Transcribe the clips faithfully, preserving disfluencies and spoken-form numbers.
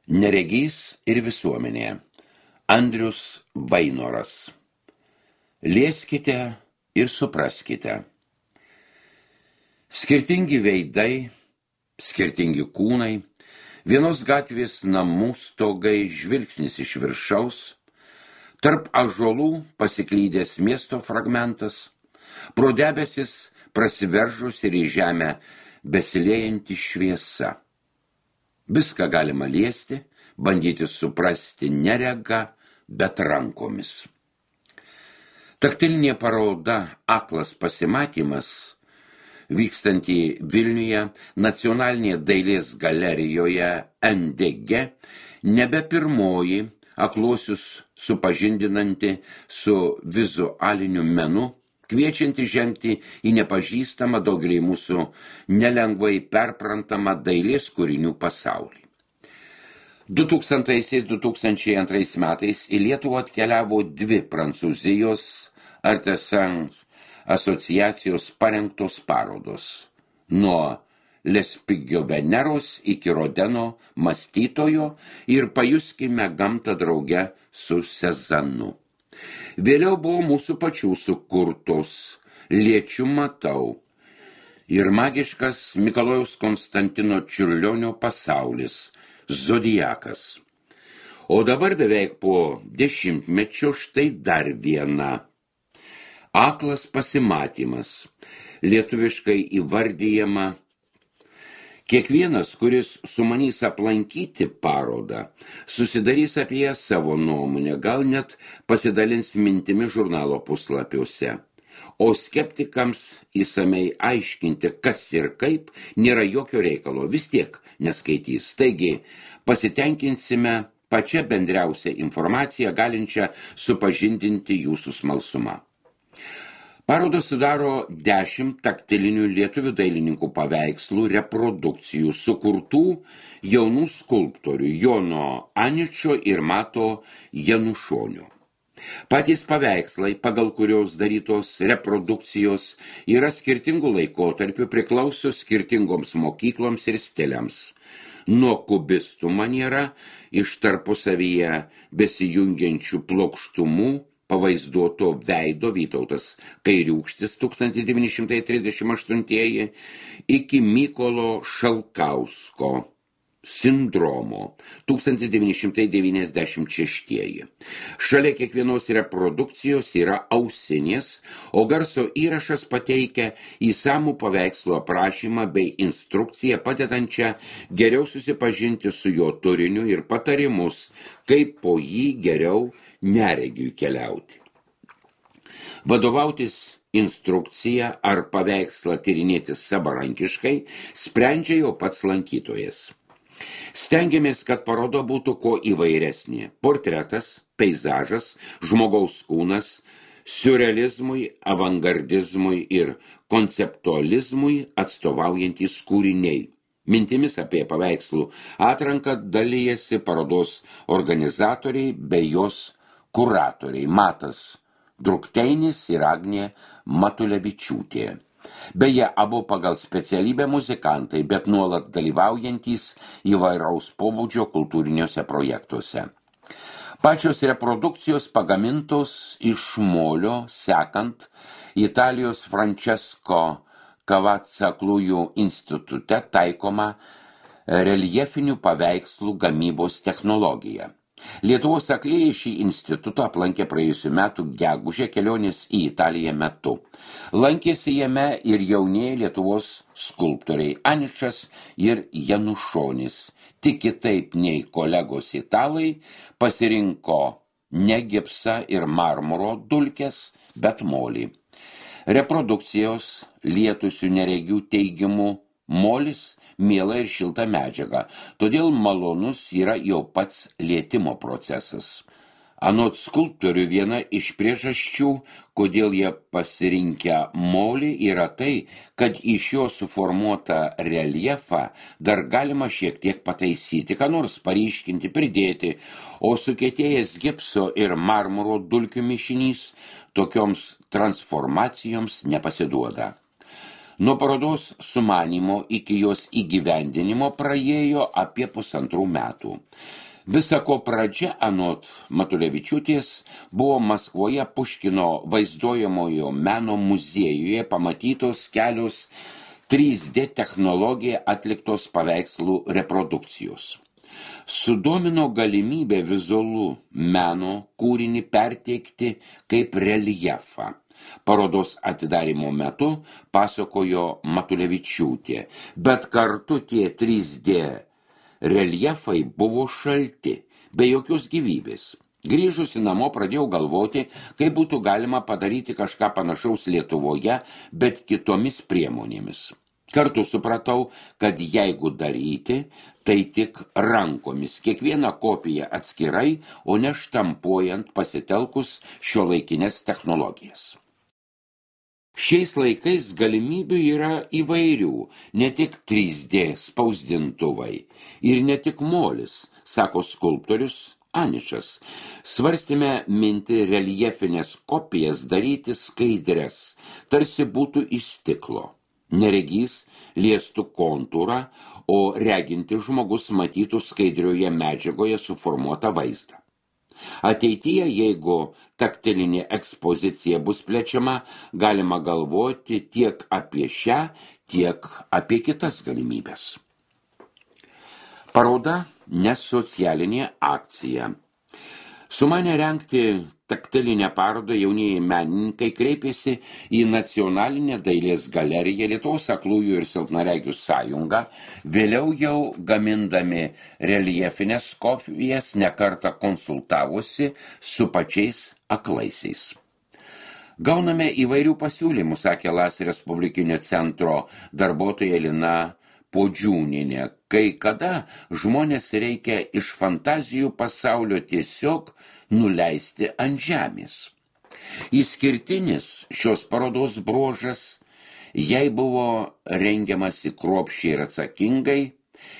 Neregys ir visuomenė. Andrius Vainoras. Lieskite ir supraskite. Skirtingi veidai, skirtingi kūnai, vienos gatvės namų stogai, žvilgsnis iš viršaus, tarp ąžuolų pasiklydęs miesto fragmentas, pro debesis prasiveržus ir į žemę besiliejanti šviesa. Viską galima liesti, bandyti suprasti nerega, bet rankomis. Taktilinė paroda Aklas pasimatymas, vykstantį Vilniuje Nacionalinėje dailės galerijoje N D G, nebe pirmoji akluosius supažindinanti su vizualiniu menu, kviečianti žengti į nepažįstamą daugelį mūsų nelengvai perprantamą dailės kūrinių pasaulį. du tūkstantaisiais - du tūkstančiai antrais metais į Lietuvą atkeliavo dvi Prancūzijos Artesans asociacijos parengtos parodos nuo Lespigio Veneros iki Rodeno mąstytojo ir pajuskime gamtą drauge su Sezanu. Vėliau buvo mūsų pačių sukurtos Liečiu matau ir magiškas Mikalojaus Konstantino Čiurlionio pasaulis Zodiakas. O dabar beveik po dešimtmečio štai dar viena. Aklas pasimatymas, lietuviškai įvardyjama. Kiekvienas, kuris sumanys aplankyti parodą, susidarys apie ją savo nuomonę, gal net pasidalins mintimi žurnalo puslapiuose. O skeptikams įsamei aiškinti, kas ir kaip, nėra jokio reikalo, vis tiek neskaitys. Taigi, pasitenkinsime pačią bendriausią informaciją, galinčią supažindinti jūsų smalsumą. Parodą sudaro dešimt taktilinių lietuvių dailininkų paveikslų reprodukcijų sukurtų jaunų skulptorių Jono Aničio ir Mato Janušonio. Patys paveikslai, pagal kurios darytos reprodukcijos, yra skirtingų laikotarpių, priklauso skirtingoms mokykloms ir stiliams. Nuo kubistų maniera iš tarpusavyje besijungiančių plokštumų pavaizduoto veido Vytautas Kairiūkštis tūkstantis devyni šimtai trisdešimt aštuntieji iki Mykolo Šalkausko sindromo tūkstantis devyni šimtai devyniasdešimt šeštieji. Šalia kiekvienos reprodukcijos yra ausinės, o garso įrašas pateikia įsamų paveikslo aprašymą bei instrukciją padedančią geriau susipažinti su jo turiniu ir patarimus, kaip po jį geriau neregiui keliauti. Vadovautis instrukciją ar paveikslą tyrinėti savarankiškai sprendžia jau pats lankytojas. Stengiamės, kad paroda būtų kuo įvairesnė. Portretas, peizažas, žmogaus kūnas, siurrealizmui, avangardizmui ir konceptualizmui atstovaujantys kūriniai. Mintimis apie paveikslų atranką dalijasi parodos organizatoriai bei jos kuratoriai Matas Drukteinis ir Agnė Matulevičiūtė. Beje, abu pagal specialybę muzikantai, bet nuolat dalyvaujantys įvairaus pobūdžio kultūriniuose projektuose. Pačios reprodukcijos pagamintos iš molio, sekant Italijos Francesco Cavazza aklųjų institute taikoma reljefinių paveikslų gamybos technologija. Lietuvos aklieji šį institutą aplankė praėjusių metų gegužę kelionės į Italiją metu. Lankėsi jame ir jaunieji Lietuvos skulptoriai Aničas ir Janušonis. Tik kitaip nei kolegos italai pasirinko ne gipsą ir marmuro dulkes, bet molį. Reprodukcijos lietusių neregių teigimu molis miela ir šilta medžiaga, todėl malonus yra jau pats lietimo procesas. Anot skulptorių viena iš priežasčių, kodėl jie pasirinkę molį, yra tai, kad iš jo suformuotą reljefą dar galima šiek tiek pataisyti, ką nors paryškinti, pridėti, o sukietėjęs gipso ir marmuro dulkių mišinys tokioms transformacijoms nepasiduoda. Nuo parodos sumanymo iki jos įgyvendinimo praėjo apie pusantrų metų. Visa ko pradžia, anot Matulevičiūtės, buvo Maskvoje Puškino vaizduojamojo meno muziejuje pamatytos kelios trys D technologija atliktos paveikslų reprodukcijos. Sudomino galimybė vizualų meno kūrinį perteikti kaip reljefą. Parodos atidarymo metu pasakojo Matulevičiūtė, bet kartu tie trys D reljefai buvo šalti, be jokios gyvybės. Grįžusi namo pradėjau galvoti, kaip būtų galima padaryti kažką panašaus Lietuvoje, bet kitomis priemonėmis. Kartu supratau, kad jeigu daryti, tai tik rankomis, kiekvieną kopiją atskirai, o ne štampuojant pasitelkus šiuolaikinės technologijas. Šiais laikais galimybių yra įvairių, ne tik trys D spausdintuvai ir ne tik molis, sako skulptorius Anišas. Svarstėme mintį reljefinės kopijas daryti skaidres, tarsi būtų iš stiklo. Neregys liestų kontūrą, o reginti žmogus matytų skaidrioje medžiagoje suformuotą vaizdą. Ateityje, jeigu taktilinė ekspozicija bus plečiama, galima galvoti tiek apie šią, tiek apie kitas galimybės. Paroda ne socialinė akcija. Sumanę rengti taktilinę parodą jaunieji menininkai kreipėsi į Nacionalinę dailės galeriją, Lietuvos aklųjų ir silpnaregių sąjungą, vėliau jau gamindami reljefinės kopijas nekartą konsultavosi su pačiais aklaisiais. Gauname įvairių pasiūlymų, sakė Las Respublikinio centro darbuotoja Lina Podžiūnienė, kai kada žmonės reikia iš fantazijų pasaulio tiesiog nuleisti ant žemės. Išskirtinis šios parodos bruožas, jei buvo rengiamasi kruopščiai ir atsakingai,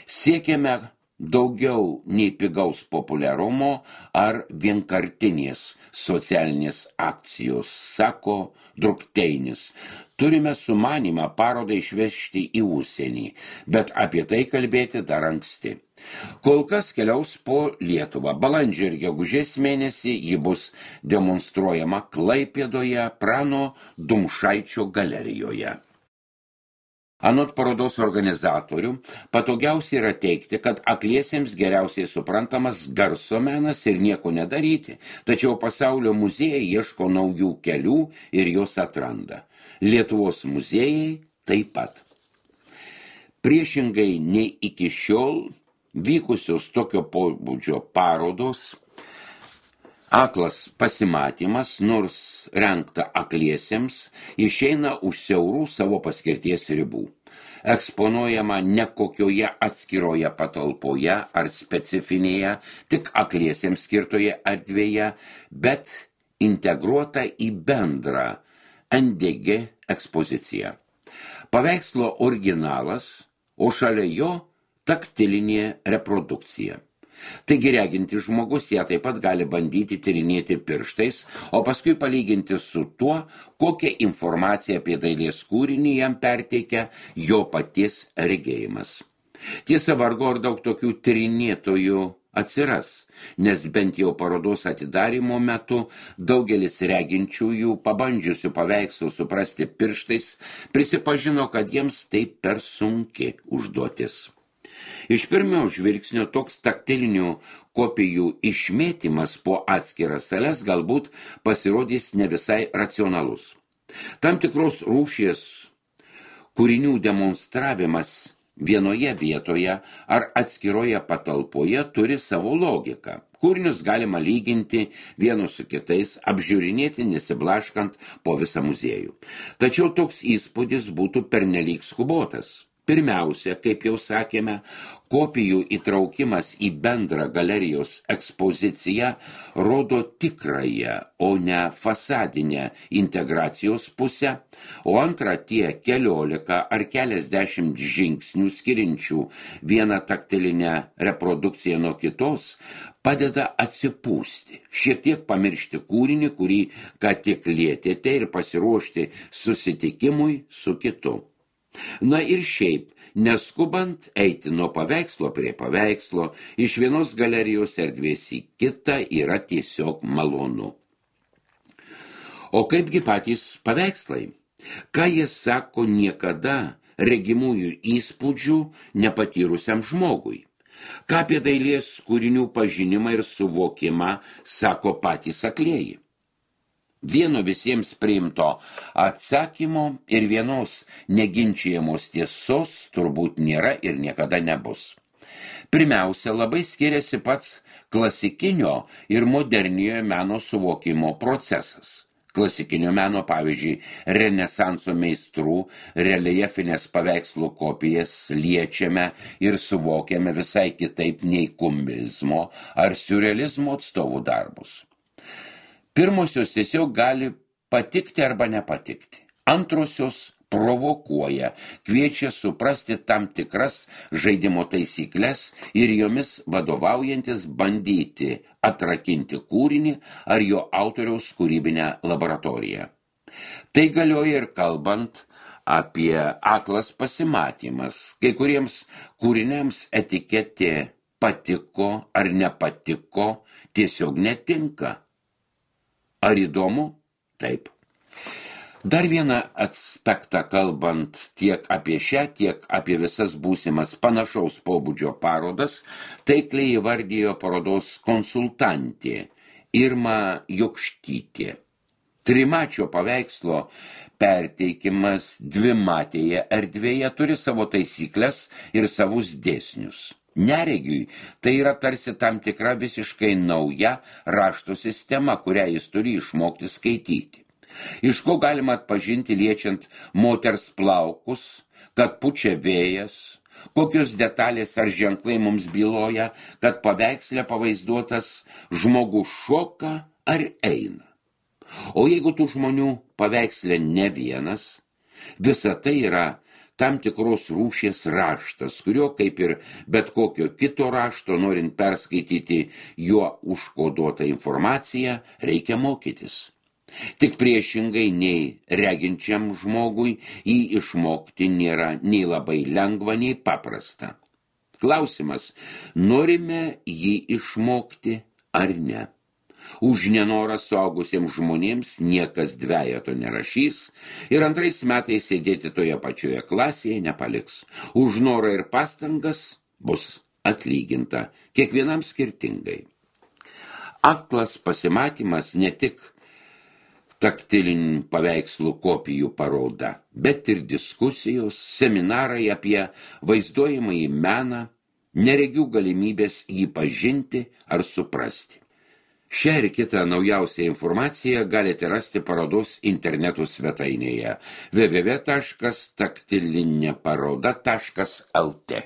siekėme daugiau nei pigaus populiarumo ar vienkartinės socialinės akcijos, sako Drukteinis. Turime sumanymą parodą išvežti į užsienį, bet apie tai kalbėti dar anksti. Kol kas keliaus po Lietuvą. Balandžio ir gegužės mėnesį ji bus demonstruojama Klaipėdoje Prano Dumšaičio galerijoje. Anot parodos organizatorių, patogiausia yra teigti, kad akliesiems geriausiai suprantamas garso menas ir nieko nedaryti, tačiau pasaulio muziejai ieško naujų kelių ir jos atranda. Lietuvos muziejai taip pat. Priešingai nei iki šiol vykusios tokio pobūdžio parodos, aklas pasimatymas, nors rengta akliesiems, išeina už siaurų savo paskirties ribų. Eksponuojama ne kokioje atskiroje patalpoje ar specifinėje, tik akliesiems skirtoje erdvėje, bet integruota į bendrą N D G ekspoziciją. Paveikslo originalas, o šalia jo taktilinė reprodukcija. Taigi reginti žmogus ją taip pat gali bandyti tyrinėti pirštais, o paskui palyginti su tuo, kokią informaciją apie dailės kūrinį jam perteikia jo paties regėjimas. Tiesa, vargu ar daug tokių tyrinėtojų atsiras, nes bent jau parodos atidarymo metu daugelis reginčiųjų, pabandžiusių paveikslų suprasti pirštais, prisipažino, kad jiems tai per sunki užduotis. Iš pirmio žvilgsnio toks taktilinių kopijų išmėtymas po atskiras sales galbūt pasirodys ne visai racionalus. Tam tikros rūšies kūrinių demonstravimas vienoje vietoje ar atskiroje patalpoje turi savo logiką. Kūrinius galima lyginti vienus su kitais, apžiūrinėti nesiblaškant po visą muziejų. Tačiau toks įspūdis būtų pernelyg skubotas. Pirmiausia, kaip jau sakėme, kopijų įtraukimas į bendrą galerijos ekspoziciją rodo tikrąją, o ne fasadinę integracijos pusę, o antra tie keliolika ar keliasdešimt žingsnių skiriančių vieną taktilinę reprodukciją nuo kitos padeda atsipūsti, šiek tiek pamiršti kūrinį, kurį ką tik lietėte ir pasiruošti susitikimui su kitu. Na ir šiaip, neskubant eiti nuo paveikslo prie paveikslo, iš vienos galerijos erdvės į kitą yra tiesiog malonu. O kaipgi patys paveikslai? Ką jie sako niekada regimųjų įspūdžių nepatyrusiam žmogui? Ką apie dailės kūrinių pažinimą ir suvokimą sako patys aklieji? Vieno visiems priimto atsakymo ir vienos neginčijamos tiesos turbūt nėra ir niekada nebus. Pirmiausia, labai skiriasi pats klasikinio ir moderniojo meno suvokimo procesas. Klasikinio meno, pavyzdžiui, renesanso meistrų reljefinės paveikslų kopijas liečiame ir suvokiame visai kitaip nei kubizmo ar siurrealizmo atstovų darbus. Pirmosios tiesiog gali patikti arba nepatikti. Antrosios provokuoja, kviečia suprasti tam tikras žaidimo taisyklės ir jomis vadovaujantis bandyti atrakinti kūrinį ar jo autoriaus kūrybinę laboratoriją. Tai galioja ir kalbant apie aklas pasimatymas. Kai kuriems kūriniams etiketė patiko ar nepatiko tiesiog netinka. Ar įdomu? Taip. Dar vieną aspektą kalbant tiek apie šią, tiek apie visas būsimas panašaus pobūdžio parodas, taikliai įvardijo parodos konsultantė Irma Jokštytė. Trimačio paveikslo perteikimas dvimatėje erdvėje turi savo taisyklės ir savus dėsnius. Neregiui tai yra tarsi tam tikra visiškai nauja rašto sistema, kurią jis turi išmokti skaityti. Iš ko galima atpažinti liečiant moters plaukus, kad pučia vėjas, kokios detalės ar ženklai mums byloja, kad paveiksle pavaizduotas žmogus šoka ar eina. O jeigu tų žmonių paveiksle ne vienas, visa tai yra tam tikros rūšies raštas, kurio, kaip ir bet kokio kito rašto, norint perskaityti juo užkoduotą informaciją, reikia mokytis. Tik priešingai nei reginčiam žmogui jį išmokti nėra nei labai lengva, nei paprasta. Klausimas, norime jį išmokti ar ne? Už nenorą suaugusiems žmonėms niekas dvejeto nerašys ir antrais metais sėdėti toje pačioje klasėje nepaliks. Už norą ir pastangas bus atlyginta, kiekvienam skirtingai. Aklas pasimatymas ne tik taktilinių paveikslų kopijų paroda, bet ir diskusijos, seminarai apie vaizduojamąjį meną, neregių galimybės jį pažinti ar suprasti. Šią ir kitą naujausią informaciją galite rasti parodos interneto svetainėje w w w taškas taktilinė paroda taškas l t.